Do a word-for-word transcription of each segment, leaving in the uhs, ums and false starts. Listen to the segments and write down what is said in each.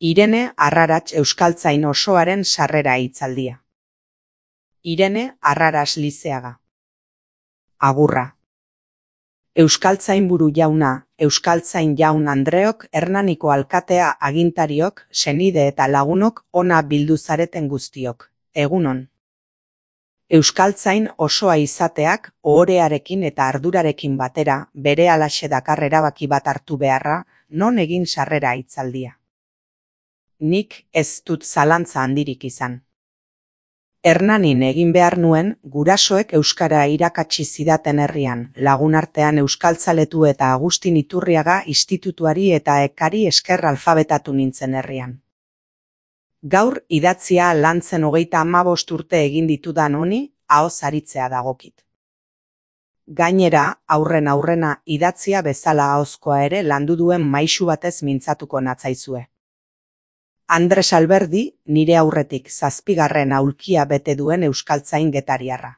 Irene Arrarats euskaltzain osoaren sarrera hitzaldia. Irene Arrarats Lizeaga. Agurra. Euskaltzainburu jauna, euskaltzain jaun Andreok, Hernaniko alkatea, agintariok, senide eta lagunok, ona bildu zareten guztiok. Egunon. Euskaltzain osoa izateak, ohorearekin eta ardurarekin batera, berehalaxe dakar erabaki bat hartu beharra, non egin sarrera hitzaldia. Nik ez dut zalantza handirik izan. Hernanin egin behar nuen, gurasoek euskara irakatsi zidaten herrian, lagunartean euskaltzaletu eta Agustin Iturriaga institutuari eta ekari esker alfabetatu nintzen herrian. Gaur idatzia lantzen hogeita hamabost urte egin ditudan honi, ahoz aritzea dagokit. Gainera, aurren aurrena idatzia bezala ahozkoa ere landu duen maisu batez mintzatuko natzaizue. Andres Alberdi, nire aurretik zazpigarren aulkia bete duen euskaltzain getariarra.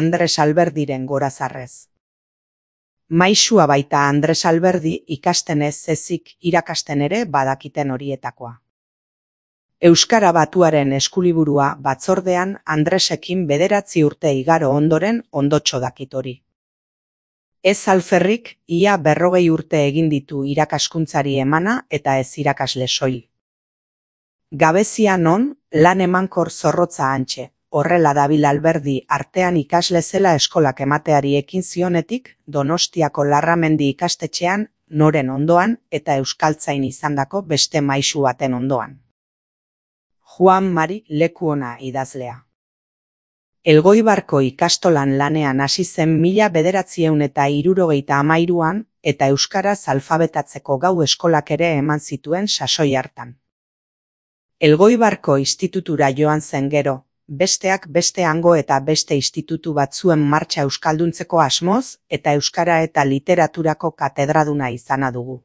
Andres Alberdiren gorazarrez. Maisua baita Andres Alberdi ikasten ez ezik irakasten ere badakiten horietakoa. Euskara Batuaren eskuliburua batzordean Andresekin bederatzi urte igaro ondoren ondotxo dakit hori. Ez alferrik, ia berrogei urte egin ditu irakaskuntzari emana eta ez irakasle soil. Gabezia non, lan emankor zorrotza hantxe, horrela dabil Alberdi artean ikasle zela eskolak emateari ekin zionetik, Donostiako Larramendi ikastetxean, noren ondoan eta euskaltzain izandako beste maisu baten ondoan. Juan Mari Lekuona idazlea. Elgoibarko ikastolan lanean hasi zen mila bederatziehun eta hirurogeita hamairuan eta euskaraz alfabetatzeko gau eskolak ere eman zituen sasoi hartan. Elgoibarko institutura joan zen gero, besteak beste hango eta beste institutu batzuen martxa euskalduntzeko asmoz eta euskara eta literaturako katedraduna izana dugu.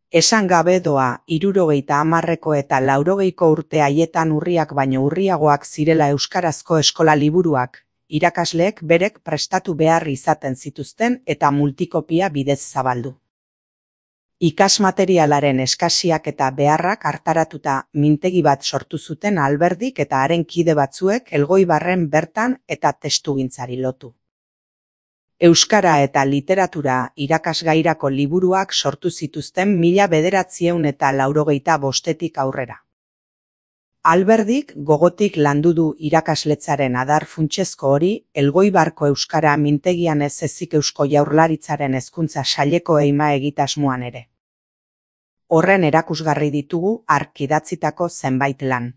Esan gabe doa, hirurogeita hamarreko eta laurogeiko urte haietan urriak baino urriagoak zirela euskarazko eskola liburuak, irakasleek berek prestatu behar izaten zituzten eta multikopia bidez zabaldu. Ikasmaterialaren eskasiak eta beharrak hartaratuta mintegi bat sortu zuten Alberdik eta haren kide batzuek Elgoibarren bertan eta testugintzari lotu. Euskara eta literatura irakasgairako liburuak sortu zituzten mila bederatziehun eta laurogeita bostetik aurrera. Alberdik gogotik landu du irakasletzaren adar funtsezko hori Elgoibarko euskara mintegian ez ezik Eusko Jaurlaritzaren hezkuntza saileko eima egitasmoan ere. Horren erakusgarri ditugu hark idatzitako zenbait lan.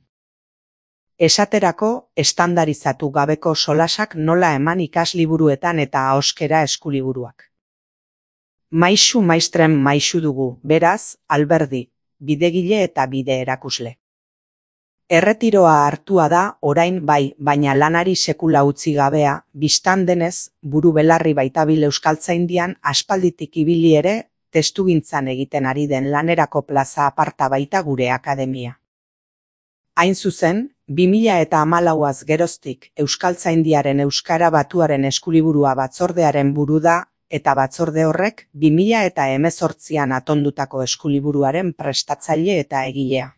Esaterako, estandarizatu gabeko solasak nola eman ikasliburuetan eta ahoskera eskuliburuak. Maisu maistren maisu dugu, beraz, Alberdi, bidegile eta bide erakusle. Erretiroa hartua da, orain bai, baina lanari sekula utzi gabea, bistan denez, buru belarri baitabil euskaltzaindian aspalditik ibili ere, testugintzan egiten ari den lanerako plaza aparta baita gure akademia. Hain zuzen, bi mila eta hamalauaz geroztik euskaltzaindiaren Euskara Batuaren eskuliburua batzordearen buru da, eta batzorde horrek bi mila eta hemezortzian atondutako eskuliburuaren prestatzaile eta egilea.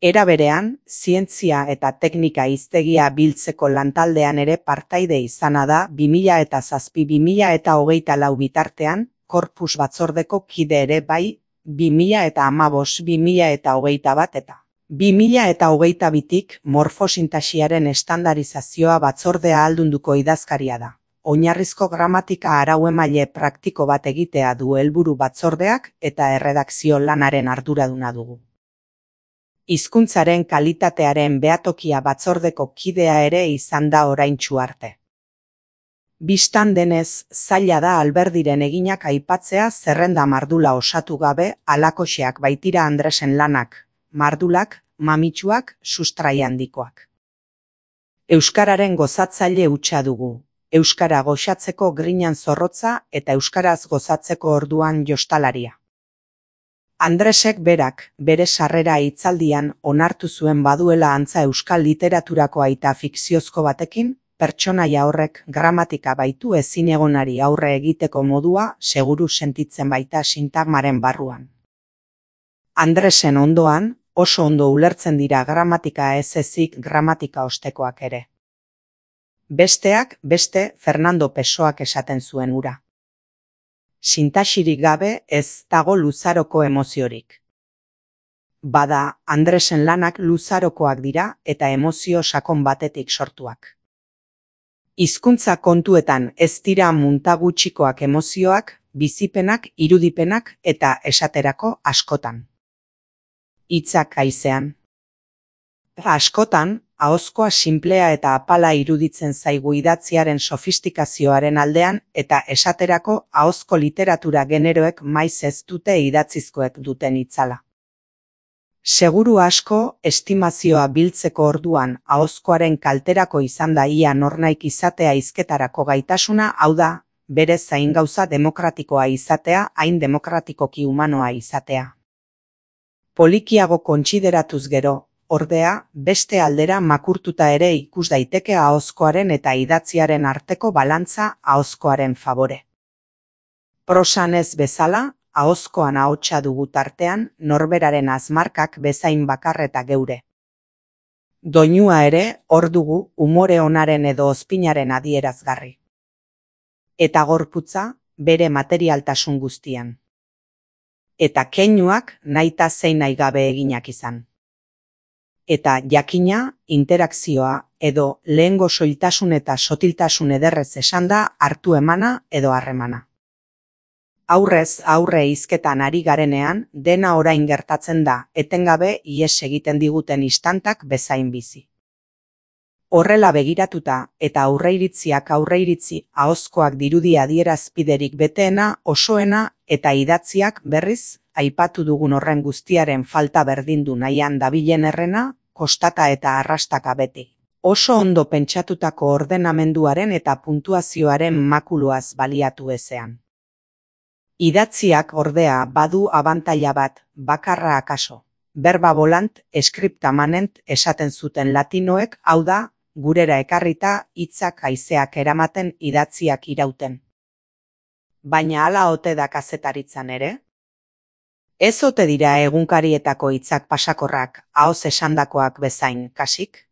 Era berean, zientzia eta teknika hiztegia biltzeko lantaldean ere partaide izana da bi mila eta zazpi bi mila eta hogeita lau bitartean, korpus batzordeko kide ere bai, bi mila eta hamabost bi mila eta hogeita bat eta bi mila eta hogeita bitik morfosintasiaren estandarizazioa batzordea aldunduko idazkaria da. Oinarrizko gramatika arau-emaile praktiko bat egitea du helburu batzordeak eta erredakzio lanaren arduraduna dugu. Hizkuntzaren kalitatearen behatokia batzordeko kidea ere izan da oraintsu arte. Bistan denez, zaila da Alberdiren eginak aipatzea zerrenda mardula osatu gabe alakoxeak baitira Andresen lanak, mardulak, mamitsuak, sustrai handikoak. Euskararen gozatzaile hutsa dugu, euskara goxatzeko grinan zorrotza eta euskaraz gozatzeko orduan jostalaria. Andresek berak, bere sarrera hitzaldian onartu zuen baduela antza euskal literaturako aita fikziozko batekin, pertsonaia horrek gramatika baitu ezinegonari aurre egiteko modua seguru sentitzen baita sintagmaren barruan. Andresen ondoan, oso ondo ulertzen dira gramatika ez ezik gramatika ostekoak ere. Besteak, beste Fernando Pessoak esaten zuen hura. Sintaxirik gabe ez dago luzaroko emoziorik. Bada, Andresen lanak luzarokoak dira eta emozio sakon batetik sortuak. Hizkuntza kontuetan ez dira munta gutxikoak emozioak, bizipenak, irudipenak eta esaterako askotan. Hitzak haizean. Askotan, ahozkoa sinplea eta apala iruditzen zaigu idatziaren sofistikazioaren aldean eta esaterako ahozko literatura generoek maiz ez dute idatzizkoek duten itzala. Seguru asko, estimazioa biltzeko orduan ahozkoaren kalterako izan da ia nornaik izatea hizketarako gaitasuna, hau da, berez hain gauza demokratikoa izatea, hain demokratikoki humanoa izatea. Polikiago kontsideratuz gero, ordea, beste aldera makurtuta ere ikus daiteke ahozkoaren eta idatziaren arteko balantza ahozkoaren favore. Prosan ez bezala, ahozkoan ahotsa dugu tartean, norberaren azmarkak bezain bakarreta geure. Doinua ere, hor dugu, umore onaren edo ozpinaren adierazgarri. Eta gorputza, bere materialtasun guztian. Eta keinuak nahita zein nahi gabe eginak izan. Eta jakina, interakzioa edo lehengo soiltasun eta sotiltasun ederrez esanda hartu emana edo harremana. Aurrez aurre hizketan ari garenean, dena orain gertatzen da, etengabe ihes egiten diguten istantak bezain bizi. Horrela begiratuta eta aurreiritziak aurreiritzi ahozkoak dirudi adierazpiderik beteena, osoena eta idatziak berriz, aipatu dugun horren guztiaren falta berdindu nahian dabilen errena, kostata eta arrastaka beti. Oso ondo pentsatutako ordenamenduaren eta puntuazioaren makuluaz baliatu ezean. Idatziak ordea badu abantaila bat, bakarra akaso. Berba volant, scripta manent esaten zuten latinoek, hau da, gurera ekarrita hitzak haizeak eramaten idatziak irauten. Baina hala ote da kazetaritzan ere? Ez ote dira egunkarietako hitzak pasakorrak, ahoz esandakoak bezain, kasik?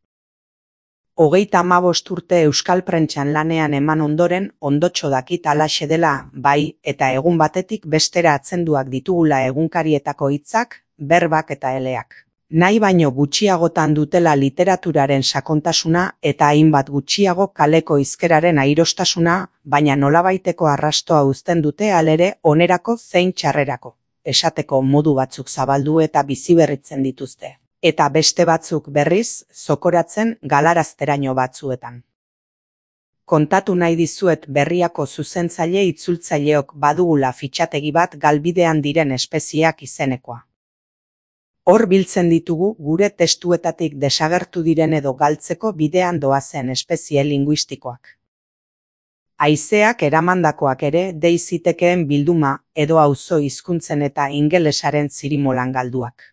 Hogeita hamabost urte euskal prentsan lanean eman ondoren, ondotxo dakit halaxe dela, bai, eta egun batetik bestera atzenduak ditugula egunkarietako hitzak, berbak eta eleak. Nahi baino gutxiagotan dutela literaturaren sakontasuna eta hainbat gutxiago kaleko hizkeraren airostasuna, baina nolabaiteko arrastoa uzten dute alere onerako zein txarrerako. Esateko modu batzuk zabaldu eta biziberritzen dituzte. Eta beste batzuk berriz, zokoratzen galarazteraino batzuetan. Kontatu nahi dizuet berriako zuzentzaile itzultzaileok badugula fitxategi bat galbidean diren espeziak izenekoa. Hor biltzen ditugu gure testuetatik desagertu diren edo galtzeko bidean doazen espezie linguistikoak. Haizeak eramandakoak ere deizitekeen bilduma edo auzo hizkuntzen eta ingelesaren zirimolan galduak.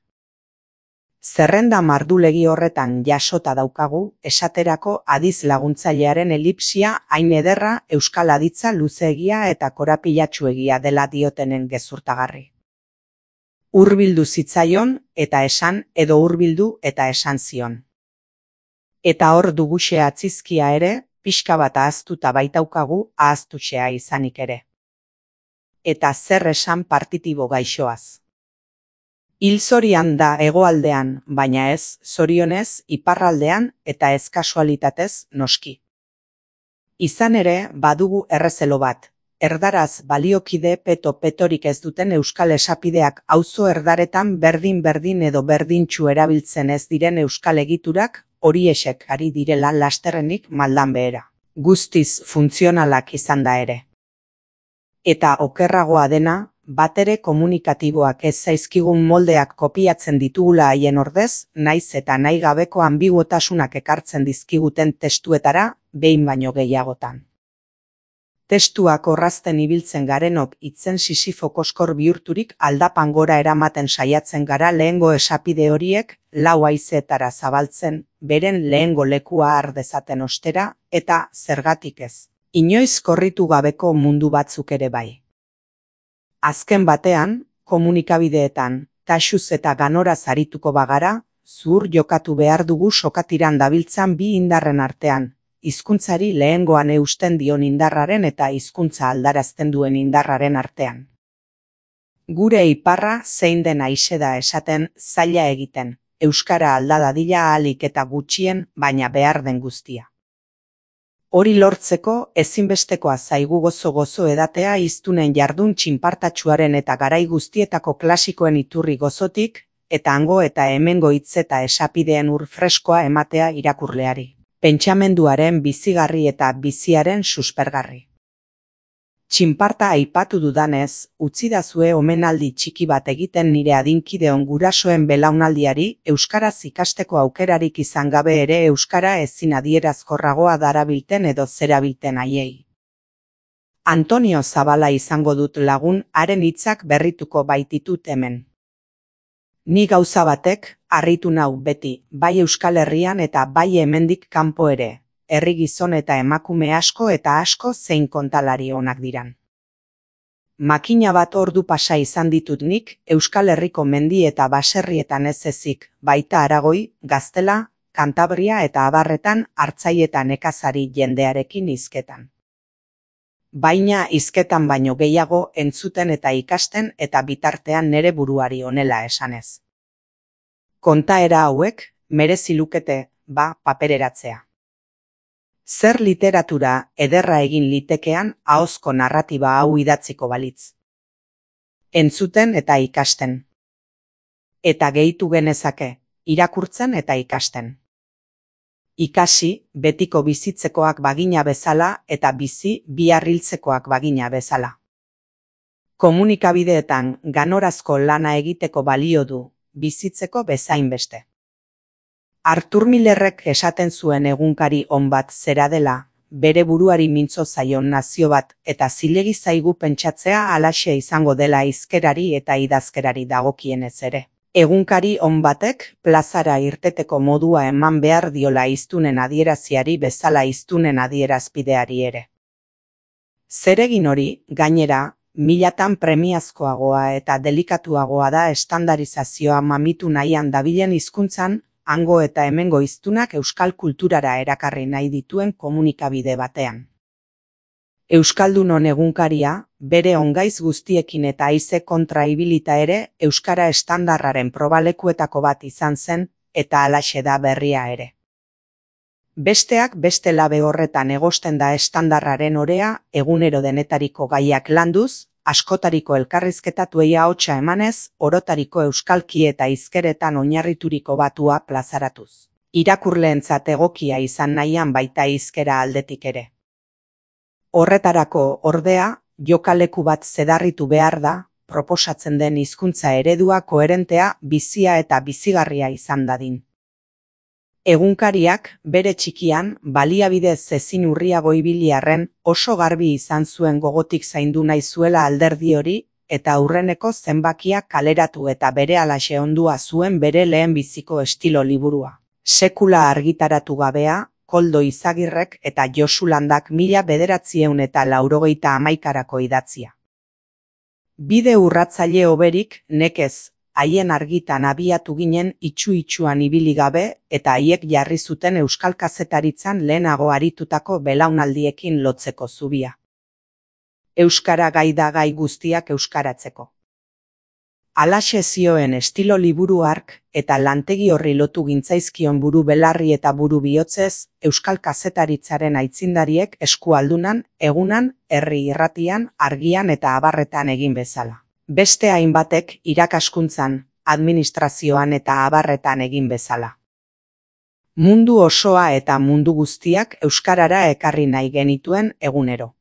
Zerrenda mardulegi horretan jasota daukagu, esaterako adiz laguntzailearen elipsia hain ederra euskal aditza luzeegia eta korapilatsuegia dela diotenen gezurtagarri. Hurbildu zitzaion eta esan edo hurbildu eta esan zion. Eta hor duguxe atzizkia ere, pixka bat ahaztuta baitaukagu ahaztuxea izanik ere. Eta zer esan partitibo gaixoaz. Hil zorian da hegoaldean, baina ez, zorionez, iparraldean eta ez kasualitatez noski. Izan ere, badugu errezelo bat. Erdaraz baliokide peto petorik ez duten euskal esapideak auzo erdaretan berdin-berdin edo berdintxu erabiltzen ez diren euskal egiturak horiexek ari direla lasterrenik maldan behera. Guztiz funtzionalak izan da ere. Eta okerragoa dena, batere komunikatiboak ez zaizkigun moldeak kopiatzen ditugula haien ordez, naiz eta nahi gabeko ambiguotasunak ekartzen dizkiguten testuetara, behin baino gehiagotan. Testuak orrazten ibiltzen garenok hitzen sisifo koskor bihurturik aldapan gora eramaten saiatzen gara lehengo esapide horiek lau haizeetara zabaltzen, beren lehengo lekua har dezaten ostera, eta zergatik ez. Inoiz korritu gabeko mundu batzuk ere bai. Azken batean, komunikabideetan, taxuz eta ganoraz arituko bagara, zuhur jokatu behar dugu sokatiran dabiltzan bi indarren artean, hizkuntzari lehengoan eusten dion indarraren eta hizkuntza aldarazten duen indarraren artean. Gure iparra zein den aixe da esaten zaila egiten, euskara alda dadila ahalik eta gutxien, baina behar den guztia. Hori lortzeko ezinbestekoa zaigu gozo-gozo edatea hiztunen jardun txinpartatsuaren eta garai guztietako klasikoen iturri gozotik, eta hango eta hemengo hitz eta esapideen ur freskoa ematea irakurleari. Pentsamenduaren bizigarri eta biziaren suspergarri. Txinparta aipatu dudanez, utzidazue omenaldi txiki bat egiten nire adinkideon gurasoen belaunaldiari euskaraz ikasteko aukerarik izan gabe ere euskara ezin adierazkorragoa darabilten edo zerabilten haiei. Antonio Zabala izango dut lagun, haren hitzak berrituko baititut hemen. Ni gauza batek harritu nau beti, bai Euskal Herrian eta bai hemendik kanpo ere. Herri gizon eta emakume asko eta asko zein kontalari onak diran. Makina bat ordu pasa izan ditut nik Euskal Herriko mendi eta baserrietan ez ezik, baita Aragoi, Gaztela, Kantabria eta abarretan hartzai eta nekazari jendearekin hizketan. Baina hizketan baino gehiago entzuten eta ikasten eta bitartean nere buruari honela esanez. Kontaera hauek merezi lukete, ba, papereratzea. Zer literatura ederra egin litekean ahozko narratiba hau idatziko balitz. Entzuten eta ikasten. Eta gehitu genezake, irakurtzen eta ikasten. Ikasi, betiko bizitzekoak bagina bezala eta bizi bihar hiltzekoak bagina bezala. Komunikabideetan ganorazko lana egiteko balio du, bizitzeko bezain beste. Artur Millerrek esaten zuen egunkari on bat zera dela, bere buruari mintzo zaion nazio bat eta zilegi zaigu pentsatzea halaxe izango dela hizkerari eta idazkerari dagokienez ere. Egunkari on batek plazara irteteko modua eman behar diola hiztunen adieraziari bezala hiztunen adierazpideari ere. Zeregin hori, gainera, milatan premiazkoagoa eta delikatuagoa da estandarizazioa mamitu nahian dabilen hizkuntzan, hango eta hemengo hiztunak euskal kulturara erakarri nahi dituen komunikabide batean. Euskaldunon egunkaria, bere ongaiz guztiekin eta haize kontra ibilita ere, euskara estandarraren probalekuetako bat izan zen, eta halaxe da berria ere. Besteak beste labe horretan egosten da estandarraren orea, egunero denetariko gaiak landuz, askotariko elkarrizketatuei ahotsa emanez, orotariko euskalki eta hizkeretan oinarrituriko batua plazaratuz. Irakurleentzat egokia izan nahian baita hizkera aldetik ere. Horretarako, ordea, jokaleku bat zedarritu behar da, proposatzen den hizkuntza eredua koherentea, bizia eta bizigarria izan dadin. Egunkariak, bere txikian, baliabidez ezin urriago ibili arren, oso garbi izan zuen gogotik zaindu nahi zuela alderdi hori, eta aurreneko zenbakiak kaleratu eta berehalaxe ondua zuen bere lehen biziko estilo liburua. Sekula argitaratu gabea, Koldo Izagirrek eta Josu Landak mila bederatzieun eta laurogeita hamaikarako idatzia. Bide urratzaile hoberik, nekez, haien argitan abiatu ginen itxu-itxuan ibili gabe eta haiek jarri zuten euskal kazetaritzan lehenago aritutako belaunaldiekin lotzeko zubia. Euskara gai da gai guztiak euskaratzeko. Halaxe zioen estilo liburu hark eta lantegi horri lotu gintzaizkion buru belarri eta buru bihotzez, euskal kazetaritzaren aitzindariek eskualdunan, egunan, herri irratian, argian eta abarretan egin bezala. Beste hainbatek irakaskuntzan, administrazioan eta abarretan egin bezala. Mundu osoa eta mundu guztiak euskarara ekarri nahi genituen egunero.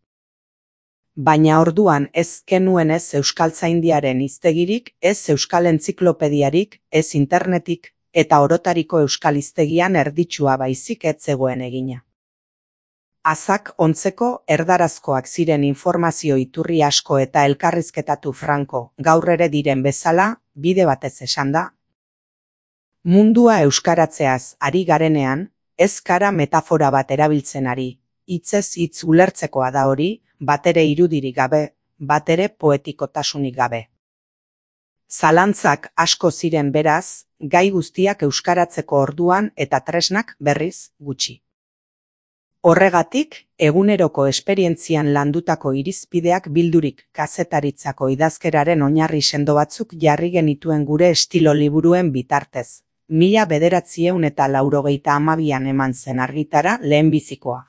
Baina orduan ez genuen ez euskaltzaindiaren hiztegirik, ez euskal entziklopediarik, ez internetik, eta orotariko euskal hiztegian erditsua baizik ez zegoen egina. Azak ontzeko erdarazkoak ziren informazio iturri asko eta elkarrizketatu franko, gaur ere diren bezala, bide batez esan da. Mundua euskaratzeaz ari garenean, ez gara metafora bat erabiltzen ari, hitzez hitz ulertzekoa da hori, batere irudirik gabe, batere poetikotasunik gabe. Zalantzak asko ziren beraz, gai guztiak euskaratzeko orduan eta tresnak berriz gutxi. Horregatik, eguneroko esperientzian landutako irizpideak bildurik kazetaritzako idazkeraren oinarri sendo batzuk jarri genituen gure estilo liburuen bitartez. Mila bederatzieun eta laurogeita hamabian eman zen argitara lehenbizikoa.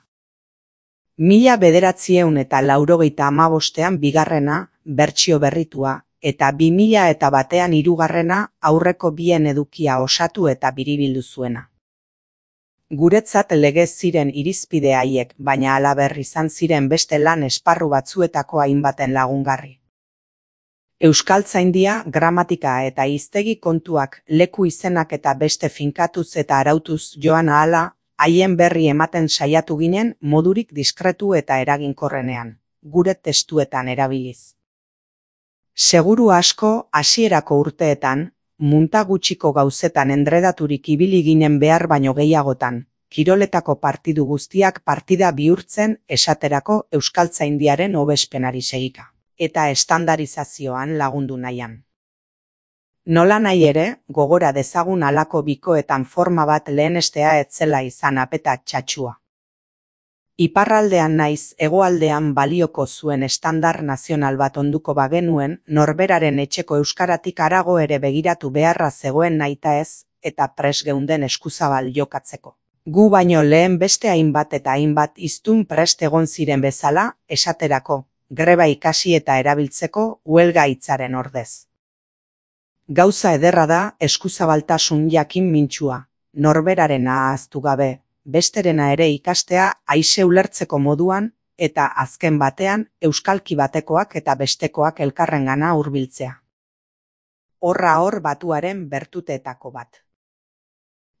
Mila bederatzieun eta laurogeita hamabostean bigarrena, bertsio berritua, eta bi mila eta batean hirugarrena aurreko bien edukia osatu eta biribildu zuena. Guretzat legez ziren irizpide haiek, baina halaber izan ziren beste lan esparru batzuetako hainbaten lagungarri. Euskaltzaindia, gramatika eta hiztegi kontuak, leku izenak eta beste finkatuz eta arautuz joan ahala, haien berri ematen saiatu ginen modurik diskretu eta eraginkorrenean, gure testuetan erabiliz. Seguru asko, hasierako urteetan, munta gutxiko gauzetan endredaturik ibili ginen behar baino gehiagotan, kiroletako partidu guztiak partida bihurtzen esaterako euskaltzaindiaren hobespenari segika, eta estandarizazioan lagundu nahian. Nola nahi ere, gogora dezagun halako bikoetan forma bat lehenestea etzela izan apeta txatxua. Iparraldean naiz hegoaldean balioko zuen estandar nazional bat onduko bagenuen, norberaren etxeko euskaratik harago ere begiratu beharra zegoen nahitaez, eta pres geunden eskuzabal jokatzeko. Gu baino lehen beste hainbat eta hainbat hiztun prest egon ziren bezala, esaterako, greba ikasi eta erabiltzeko huelga hitzaren ordez. Gauza ederra da eskuzabaltasun jakin mintsua, norberarena ahaztu gabe, besterena ere ikastea aise ulertzeko moduan eta azken batean euskalki batekoak eta bestekoak elkarrengana hurbiltzea. Horra hor batuaren bertuteetako bat.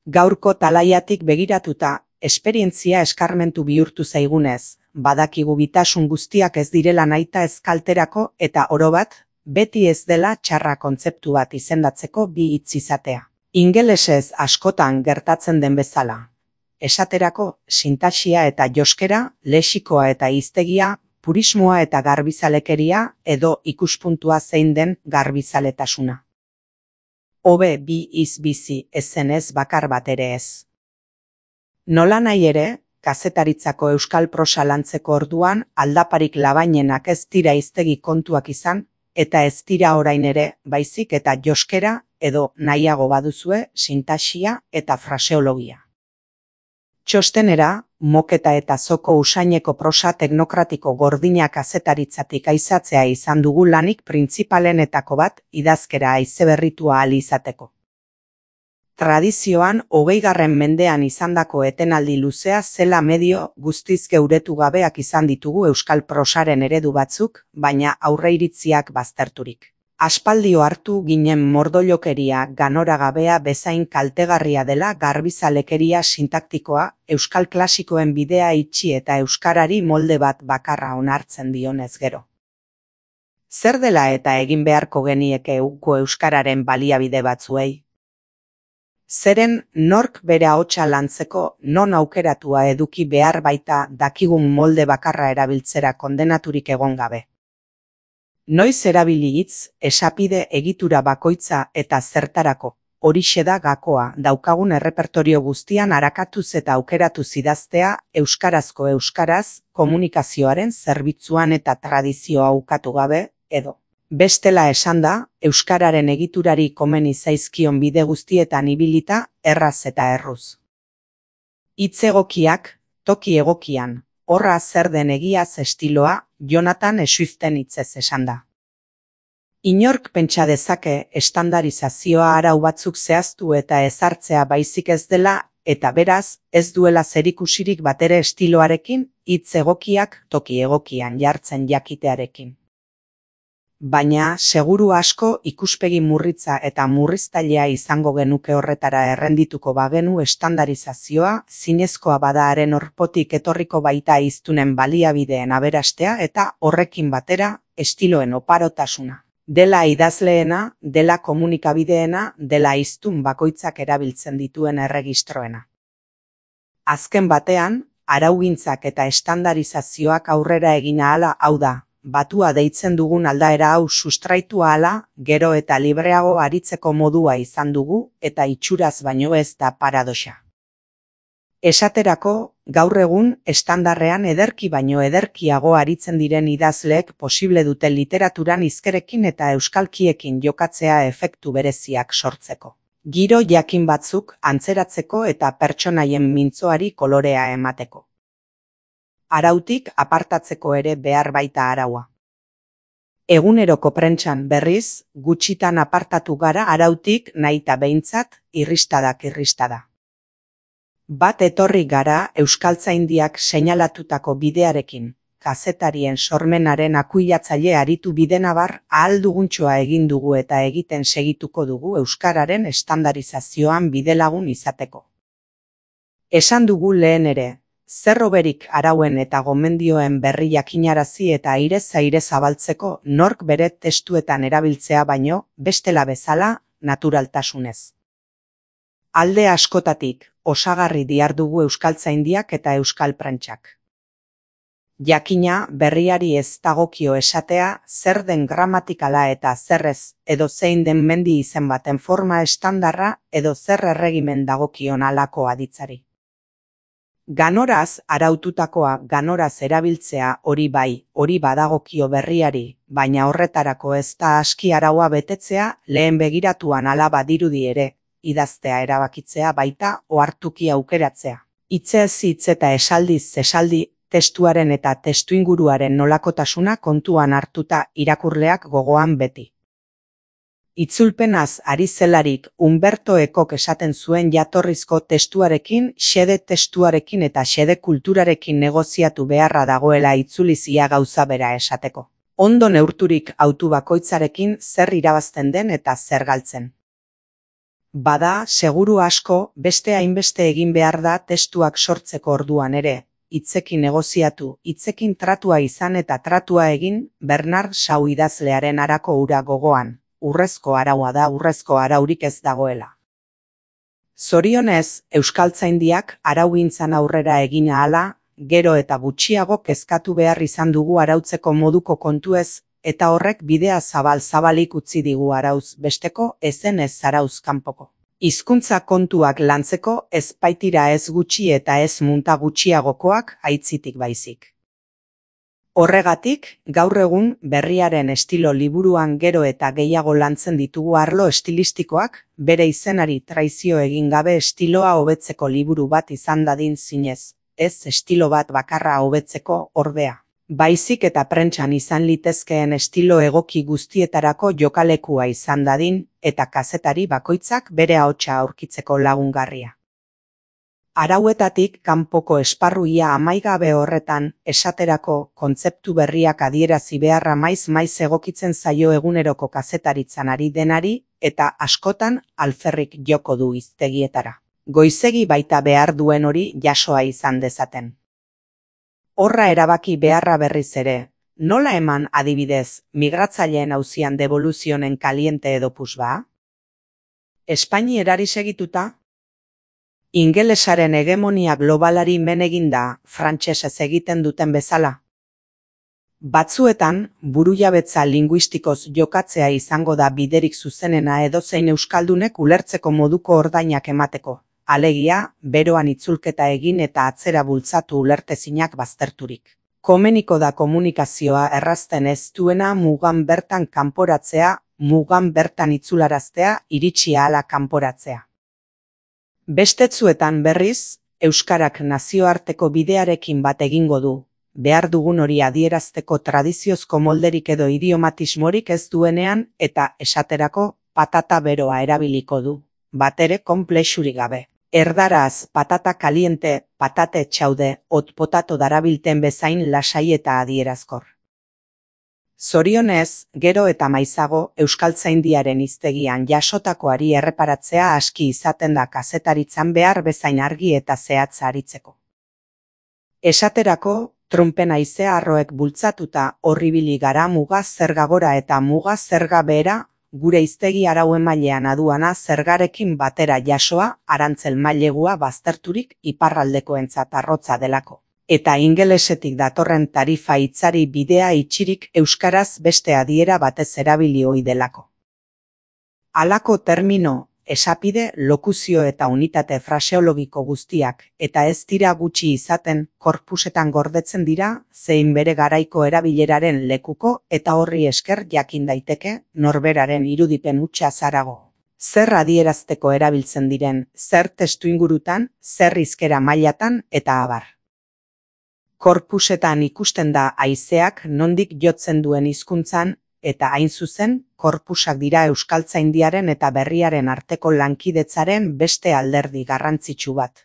Gaurko talaiatik begiratuta, esperientzia eskarmentu bihurtu zaigunez, badakigu bitasun guztiak ez direla nahita ez kalterako eta orobat, beti ez dela txarra kontzeptu bat izendatzeko bi hitz izatea. Ingelesez askotan gertatzen den bezala. Esaterako, sintaxia eta joskera, lexikoa eta hiztegia, purismoa eta garbizalekeria edo ikuspuntua zein den garbizaletasuna. Hobe bi hitz bizi ezenez bakar bat ere ez. Nola nahi ere, kazetaritzako euskal prosa lantzeko orduan aldaparik labainenak ez dira hiztegi kontuak izan, eta ez dira orain ere, baizik eta joskera edo nahiago baduzue sintaxia eta fraseologia. Txostenera, moketa eta zoko usaineko prosa teknokratiko gordinak kazetaritzatik aizatzea izan dugu lanik printzipaleneetako bat idazkera haizeberritua ahal izateko. Tradizioan hogeigarren mendean izandako etenaldi luzea zela medio guztiz geuretu gabeak izan ditugu euskal prosaren eredu batzuk, baina aurreiritziak bazterturik. Aspaldio hartu ginen mordolokeria ganoragabea bezain kaltegarria dela garbizalekeria sintaktikoa, euskal klasikoen bidea itxi eta euskarari molde bat bakarra onartzen dionez gero. Zer dela eta egin beharko genieke uko euskararen baliabide batzuei? Zeren nork bere ahotsa lantzeko non aukeratua eduki behar baita dakigun molde bakarra erabiltzera kondenaturik egon gabe. Noiz erabili hitz, esapide egitura bakoitza eta zertarako, horixe da gakoa daukagun errepertorio guztian arakatuz eta aukeratuz idaztea euskarazko euskaraz komunikazioaren zerbitzuan eta tradizioa ukatu gabe, edo. Bestela esanda, euskararen egiturari komeni zaizkion bide guztietan ibilita, erraz eta erruz. Hitz egokiak, toki egokian, horra zer den egiaz estiloa, Jonathan Swiiften hitzez esan da. Inork pentsa dezake estandarizazioa arau batzuk zehaztu eta ezartzea baizik ez dela eta beraz ez duela zerikusirik batere estiloarekin hitz egokiak toki egokian jartzen jakitearekin. Baina seguru asko ikuspegi murritza eta murriztailea izango genuke horretara errendituko bagenu estandarizazioa zinezkoa bada haren orpotik etorriko baita hiztunen baliabideen aberastea eta horrekin batera estiloen oparotasuna. Dela idazleena, dela komunikabideena, dela hiztun bakoitzak erabiltzen dituen erregistroena. Azken batean, araugintzak eta estandarizazioak aurrera egin ahala hau da, batua deitzen dugun aldaera hau sustraitu ahala, gero eta libreago aritzeko modua izan dugu, eta itxuraz baino ez da paradoxa. Esaterako, gaur egun, estandarrean ederki baino ederkiago aritzen diren idazleek posible dute literaturan hizkerekin eta euskalkiekin jokatzea efektu bereziak sortzeko. Giro jakin batzuk antzeratzeko eta pertsonaien mintzoari kolorea emateko. Arautik apartatzeko ere behar baita araua. Eguneroko prentsan berriz, gutxitan apartatu gara arautik nahita behintzat, irristadak irristada. Bat etorri gara euskaltzaindiak seinalatutako bidearekin, kazetarien sormenaren akuilatzaile aritu bidenabar ahal duguntxoa egin dugu eta egiten segituko dugu euskararen estandarizazioan bidelagun izateko. Esan dugu lehen ere, zer hoberik arauen eta gomendioen berri jakinarazi eta airez aire zabaltzeko nork bere testuetan erabiltzea baino, bestela bezala, naturaltasunez. Alde askotatik, osagarri dihardugu euskaltzaindiak eta euskal prentsak. Jakina berriari ez dagokio esatea zer den gramatikala eta zerrez edo zein den mendi izen baten forma estandarra edo zer erregimen dagokion halako aditzari. Ganoraz araututakoa ganoraz erabiltzea hori bai, hori badagokio berriari, baina horretarako ez da aski araua betetzea lehen begiratuan hala badirudi ere, idaztea erabakitzea baita ohartuki aukeratzea. Hitzez hitz eta esaldiz esaldi, testuaren eta testuinguruaren nolakotasuna kontuan hartuta irakurleak gogoan beti. Itzulpenaz ari zelarik Umberto Ekok esaten zuen jatorrizko testuarekin, xede testuarekin eta xede kulturarekin negoziatu beharra dagoela itzulizia gauza bera esateko. Ondo neurturik autu bakoitzarekin zer irabazten den eta zer galtzen. Bada, seguru asko, beste hainbeste egin behar da testuak sortzeko orduan ere, hitzekin negoziatu, hitzekin tratua izan eta tratua egin, Bernard Shaw idazlearen harako ura gogoan, urrezko araua da urrezko araurik ez dagoela. Zorionez, euskaltzaindiak araugintzan aurrera egin ahala, gero eta gutxiago kezkatu behar izan dugu arautzeko moduko kontuez, eta horrek bidea zabal-zabalik utzi digu arauz besteko ezen ez arauz kanpoko. Hizkuntza kontuak lantzeko ez baitira ez gutxi eta ez munta gutxiagokoak aitzitik baizik. Horregatik, gaur egun berriaren estilo liburuan gero eta gehiago lantzen ditugu arlo estilistikoak, bere izenari traizio egin gabe estiloa hobetzeko liburu bat izan dadin zinez, ez estilo bat bakarra hobetzeko ordea. Baizik eta prentsan izan litezkeen estilo egoki guztietarako jokalekua izan dadin, eta kazetari bakoitzak bere ahotsa aurkitzeko lagungarria. Arauetatik kanpoko esparruia amaigabe horretan, esaterako kontzeptu berriak adierazi beharra maiz maiz egokitzen zaio eguneroko kazetaritzan ari denari, eta askotan alferrik joko du hiztegietara. Goizegi baita behar duen hori jasoa izan dezaten. Horra erabaki beharra berriz ere, nola eman adibidez migratzaileen auzian devoluzionen kaliente edo pusba? Espainierari segituta? Ingelesaren hegemonia globalari men eginda frantsesez egiten duten bezala? Batzuetan, burujabetza linguistikoz jokatzea izango da biderik zuzenena edozein euskaldunek ulertzeko moduko ordainak emateko. Alegia, beroan itzulketa egin eta atzera bultzatu ulertezinak bazterturik. Komeniko da komunikazioa errazten ez duena mugan bertan kanporatzea, mugan bertan itzularaztea, iritsi ahala kanporatzea. Bestetzuetan berriz, euskarak nazioarteko bidearekin bat egingo du, behar dugun hori adierazteko tradiziozko molderik edo idiomatismorik ez duenean eta esaterako patata beroa erabiliko du, batere konplexurik gabe. Erdaraz, patata kaliente, patate txaude, hot potato darabilten bezain lasai eta adierazkor. Zorionez, gero eta maizago, euskaltzaindiaren hiztegian jasotakoari erreparatzea aski izaten da kazetaritzan behar bezain argi eta zehatz aritzeko. Esaterako, trumpen haizea arroek bultzatuta horribili gara muga zerga gora eta muga zerga behera, gure hiztegi arau emailean aduana zergarekin batera jasoa, arantzel mailegua bazterturik iparraldekoentzat arrotza delako. eta ingelesetik datorren tarifa hitzari bidea itxirik euskaraz beste adiera batez erabili ohi delako. Halako termino, esapide, lokuzio eta unitate fraseologiko guztiak, eta ez dira gutxi izaten, korpusetan gordetzen dira, zein bere garaiko erabileraren lekuko eta horri esker jakin daiteke, norberaren irudipen hutsa zarago. Zer adierazteko erabiltzen diren, zer testuingurutan, zer hizkera mailatan eta abar. Korpusetan ikusten da haizeak nondik jotzen duen hizkuntzan, eta hain zuzen, korpusak dira euskaltzaindiaren eta berriaren arteko lankidetzaren beste alderdi garrantzitsu bat.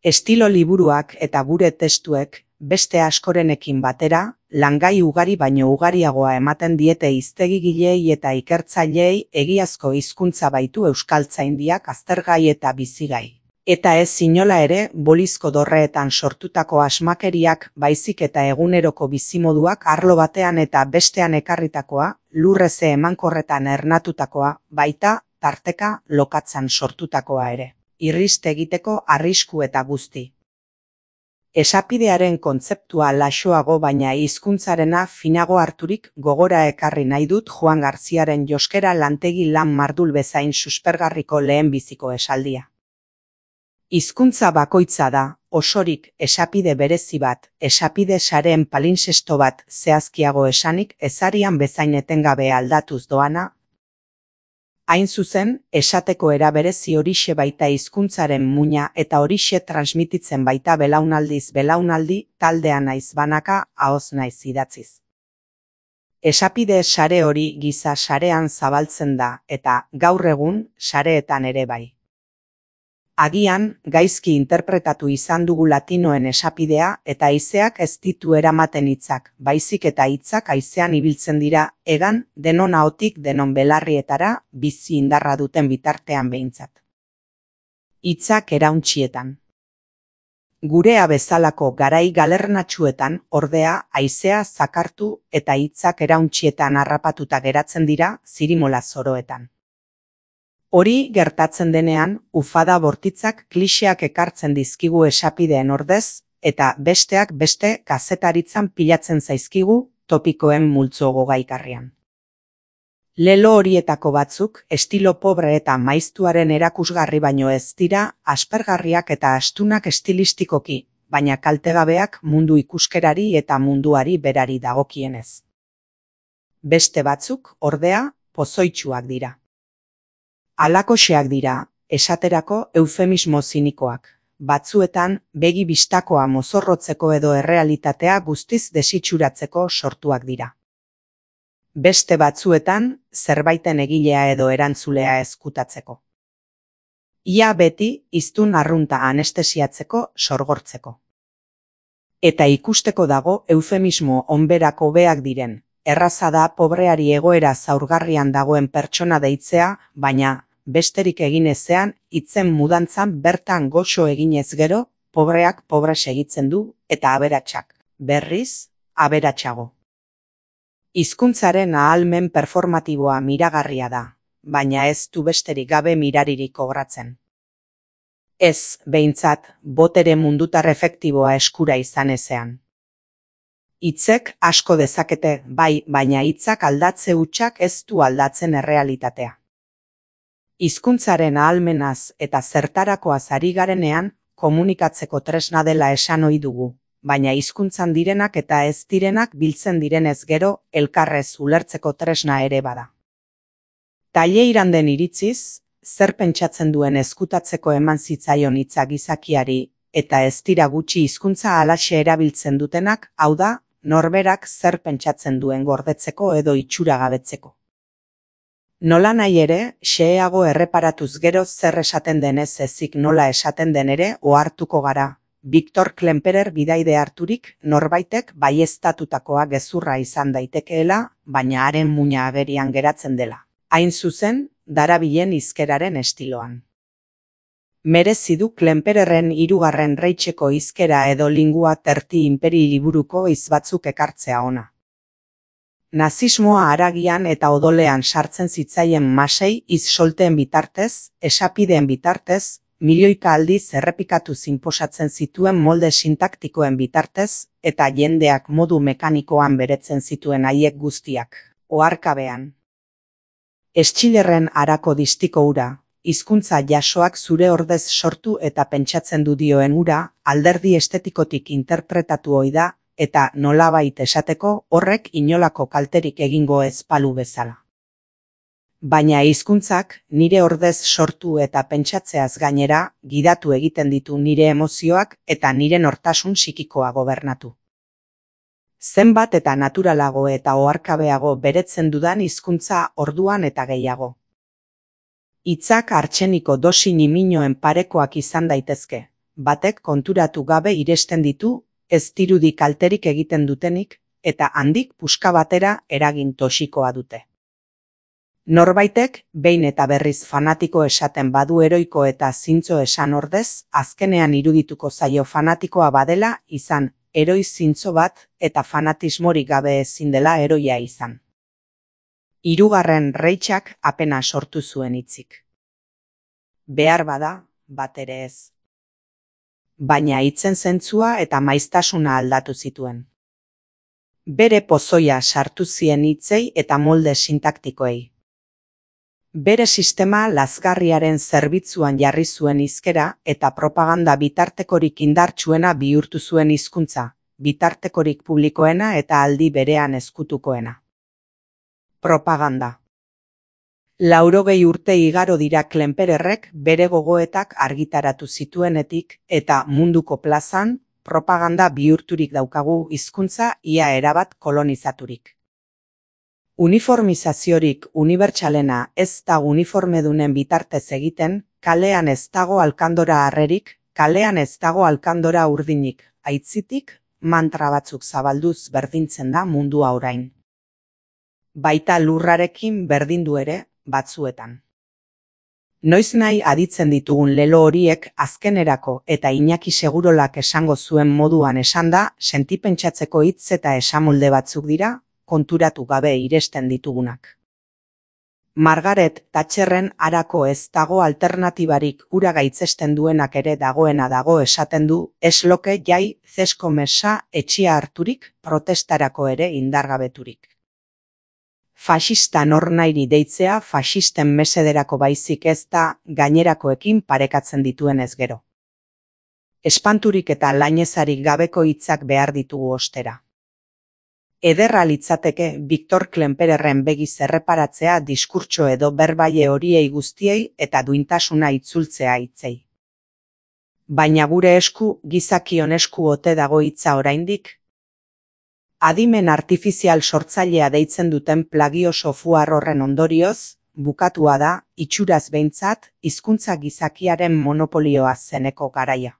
Estilo liburuak eta gure testuek, beste askorenekin batera, langai ugari baino ugariagoa ematen diete hiztegigilei eta ikertzaileei egiazko hizkuntza baitu euskaltzaindiak aztergai eta bizigai. Eta ez inola ere, bolizko dorreetan sortutako asmakeriak, baizik eta eguneroko bizimoduak arlo batean eta bestean ekarritakoa, lurreze emankorretan ernatutakoa, baita, tarteka, lokatzan sortutakoa ere. Irrist egiteko arrisku eta guzti. Esapidearen kontzeptua laxoago baina hizkuntzarena finago harturik gogora ekarri nahi dut Juan Garziaren Joskera lantegi lan mardul bezain suspergarriko lehenbiziko esaldia. Hizkuntza bakoitza da, osorik esapide berezi bat, esapide sareen palinsesto bat zehazkiago esanik ezarian bezain etengabe aldatuz doana. Hain zuzen, esateko era berezi horixe baita hizkuntzaren muina eta horixe transmititzen baita belaunaldiz belaunaldi, taldea naiz banaka, ahoz naiz idatziz. Esapide sare hori giza sarean zabaltzen da eta gaur egun sareetan ere bai. Agian, gaizki interpretatu izan dugu latinoen esapidea eta haizeak ez ditu eramaten hitzak, baizik eta hitzak haizean ibiltzen dira, egan, denon ahotik denon belarrietara, bizi indarra duten bitartean behintzat. Hitzak erauntzietan. Gurea bezalako garai galernatsuetan, ordea, haizea zakartu eta hitzak erauntzietan harrapatuta geratzen dira, zirimola zoroetan. Hori gertatzen denean, ufada bortitzak klixeak ekartzen dizkigu esapideen ordez, eta besteak beste kazetaritzan pilatzen zaizkigu topikoen multzo gogaikarrian. Lelo horietako batzuk, estilo pobre eta maiztuaren erakusgarri baino ez dira, aspergarriak eta astunak estilistikoki, baina kaltegabeak mundu ikuskerari eta munduari berari dagokienez. Beste batzuk, ordea, pozoitsuak dira. Alakoxeak dira, esaterako eufemismo zinikoak, batzuetan begi bistakoa mozorrotzeko edo errealitatea guztiz desitxuratzeko sortuak dira. Beste batzuetan, zerbaiten egilea edo erantzulea ezkutatzeko. Ia beti, hiztun arrunta anestesiatzeko, sorgortzeko. Eta ikusteko dago eufemismo onberako hobeak diren, erraza da pobreari egoera zaurgarrian dagoen pertsona deitzea, baina, besterik egin ezean, hitzen mudantzan bertan goxo eginez gero, pobreak pobre segitzen du, eta aberatsak, berriz, aberatsago. Hizkuntzaren ahalmen performatiboa miragarria da, baina ez du besterik gabe miraririk kobratzen. Ez, behintzat, botere mundutar efektiboa eskura izan ezean. Hitzek asko dezakete, bai, baina hitzak aldatze hutsak ez du aldatzen errealitatea. Hizkuntzaren ahalmenaz eta zertarakoaz ari garenean, komunikatzeko tresna dela esan ohi dugu, baina hizkuntzan direnak eta ez direnak biltzen direnez gero, elkarrez ulertzeko tresna ere bada. Taileiran den iritziz, zer pentsatzen duen ezkutatzeko eman zitzaion hitza gizakiari, eta ez dira gutxi hizkuntza halaxe erabiltzen dutenak, hau da, norberak zer pentsatzen duen gordetzeko edo itxuragabetzeko. Nola nahi ere, xeheago erreparatuz gero zer esaten denez ezik nola esaten den ere ohartuko gara. Victor Klemperer bidaide harturik norbaitek baieztatutakoa gezurra izan daitekeela, baina haren muina agerian geratzen dela. Hain zuzen, darabilen hizkeraren estiloan. Merezi du Klempererren hirugarren reitxeko hizkera edo lingua terti imperi liburuko hitz batzuk ekartzea ona. Nazismoa haragian eta odolean sartzen zitzaien masei hitz solteen bitartez, esapideen bitartez, milioika aldiz errepikatu zinposatzen zituen molde sintaktikoen bitartez, eta jendeak modu mekanikoan beretzen zituen haiek guztiak, oharkabean. Schillerren harako distiko hura, hizkuntza jasoak zure ordez sortu eta pentsatzen du dioen hura, alderdi estetikotik interpretatu ohi da, eta nolabait esateko horrek inolako kalterik egingo ez balu bezala. Baina hizkuntzak nire ordez sortu eta pentsatzeaz gainera, gidatu egiten ditu nire emozioak eta nire nortasun psikikoa gobernatu. Zenbat eta naturalago eta oharkabeago beretzen dudan hizkuntza orduan eta gehiago. Hitzak artseniko dosi niminoen parekoak izan daitezke, batek konturatu gabe iresten ditu, ez dirudi kalterik egiten dutenik, eta handik puska batera eragin toxikoa dute. Norbaitek, behin eta berriz fanatiko esaten badu heroiko eta zintzo esan ordez, azkenean irudituko zaio fanatikoa badela izan, heroi zintzo bat eta fanatismorik gabe ezin dela heroia izan. Hirugarren Reichak apena sortu zuen hitzik. Behar bada, bat ere ez. Baina hitzen zentzua eta maiztasuna aldatu zituen. Bere pozoia sartu zien hitzei eta molde sintaktikoei. Bere sistema lazgarriaren zerbitzuan jarri zuen hizkera eta propaganda bitartekorik indartsuena bihurtu zuen hizkuntza, bitartekorik publikoena eta aldi berean ezkutukoena. Propaganda. Laurogei urte igaro dira Klempererrek bere gogoetak argitaratu zituenetik eta munduko plazan propaganda bihurturik daukagu hizkuntza ia erabat kolonizaturik. Uniformizaziorik unibertsalena ez da uniformedunen bitartez egiten, kalean ez dago alkandora harrerik, kalean ez dago alkandora urdinik, aitzitik, mantra batzuk zabalduz berdintzen da mundua orain. Baita lurrarekin berdindu ere, batzuetan. Noiz nahi aditzen ditugun lelo horiek azkenerako eta Iñaki Segurolak esango zuen moduan esanda, sentipentsatzeko hitz eta esamolde batzuk dira, konturatu gabe iresten ditugunak. Margaret Thatcherren harako ez dago alternatibarik ura gaitzesten duenak ere dagoena dago esaten du, esloke jai zesko mesa etxia harturik protestarako ere indargabeturik. Faxista nornairi deitzea faxisten mesederako baizik ez da gainerakoekin parekatzen dituenez gero. Espanturik eta lainezarik gabeko hitzak behar ditugu ostera. Ederra litzateke Victor Klempererren begiz erreparatzea diskurtso edo berbaile horiei guztiei eta duintasuna itzultzea hitzei. Baina gure esku gizakion esku ote dago hitza oraindik? Adimen artifizial sortzailea deitzen duten plagio software horren ondorioz, bukatua da, itxuraz behintzat, hizkuntza gizakiaren monopolioa zeneko garaia.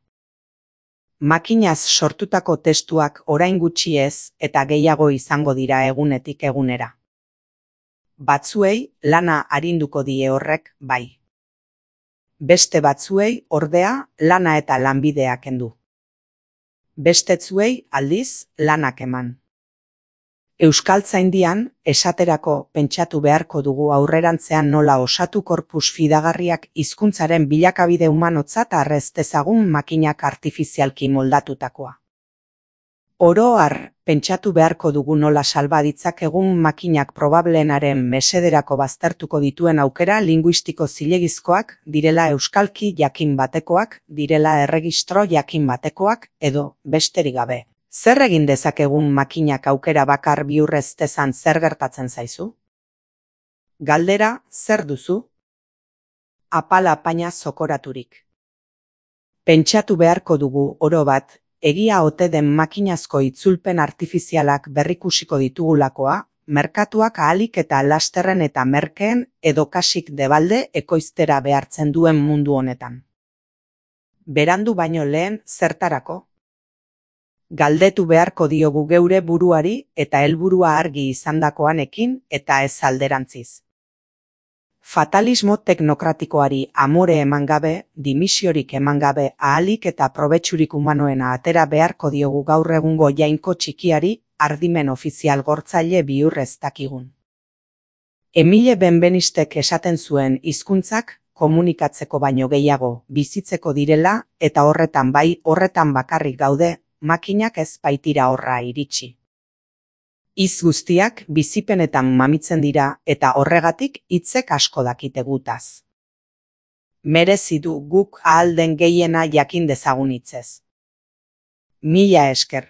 Makinaz sortutako testuak orain gutxi ez eta gehiago izango dira egunetik egunera. Batzuei lana arinduko die horrek bai. Beste batzuei ordea lana eta lanbidea kendu. Bestetzuei aldiz lanak eman. Euskaltzaindian, esaterako pentsatu beharko dugu aurrerantzean nola osatu korpus fidagarriak hizkuntzaren bilakabide humanotzat arrez dezagun makinak artifizialki moldatutakoa. Oro har, pentsatu beharko dugu nola salba ditzakegun makinak probablenaren mesederako baztertuko dituen aukera linguistiko zilegizkoak, direla euskalki jakin batekoak, direla erregistro jakin batekoak, edo besterik gabe. Zer egin dezakegun makinak aukera bakar bihurrez dezan zer gertatzen zaizu? Galdera, zer duzu? Apala apaina zokoraturik. Pentsatu beharko dugu oro bat, egia ote den makinazko itzulpen artifizialak berrikusiko ditugulakoa, merkatuak ahalik eta lasterren eta merkeen edo kasik debalde ekoiztera behartzen duen mundu honetan. Berandu baino lehen zertarako? Galdetu beharko diogu geure buruari eta helburua argi izandakoanekin eta ez alderantziz. Fatalismo teknokratikoari amore eman gabe, dimisiorik eman gabe ahalik eta probetxurik humanoena atera beharko diogu gaur egungo jainko txikiari ardimen ofizial gortzaile bihur ez dakigun. Emile Benvenistek esaten zuen hizkuntzak komunikatzeko baino gehiago bizitzeko direla eta horretan bai horretan bakarrik gaude, makinak ez baitira horra iritsi. Hitz guztiak bizipenetan mamitzen dira eta horregatik hitzek asko dakite gutaz. Merezi du guk ahal den gehiena jakin dezagun hitzez. Mila esker.